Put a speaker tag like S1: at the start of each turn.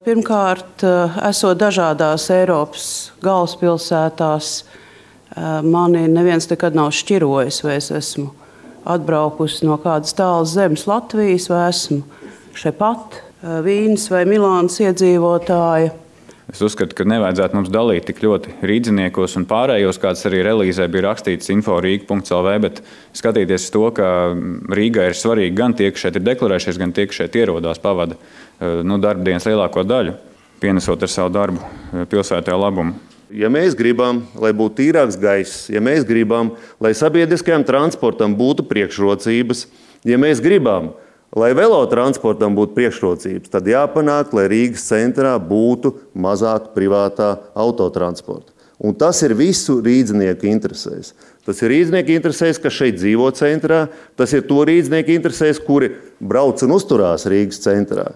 S1: Pirmkārt, esot dažādās Eiropas galvaspilsētās, mani neviens nekad nav šķirojis, vai es esmu atbraukusi no kādas tālas zemes Latvijas, vai esmu šepat Vīnes vai Milānas iedzīvotāja.
S2: Es uzskatu, ka nevajadzētu mums dalīt tik ļoti rīdziniekos un pārējos, kāds arī relīzē bija rakstīts info.rīga.lv, bet skatīties uz to, ka Rīgai ir svarīgi gan tie, kas šeit ir deklarējušies, gan tie, kas šeit ierodās, pavada darbdienas lielāko daļu, pienesot ar savu darbu pilsētā labumu.
S3: Ja mēs gribam, lai būtu tīrāks gaiss, ja mēs gribam, lai sabiedriskajam transportam būtu priekšrocības, ja mēs gribam, lai velotransportam būtu priekšrocības, tad jāpanāk, lai Rīgas centrā būtu mazāk privātā autotransporta. Un tas ir visu rīdznieku interesēs. Tas ir rīdznieku interesēs, kas šeit dzīvo centrā, tas ir to rīdznieku interesēs, kuri brauc un uzturās Rīgas centrā.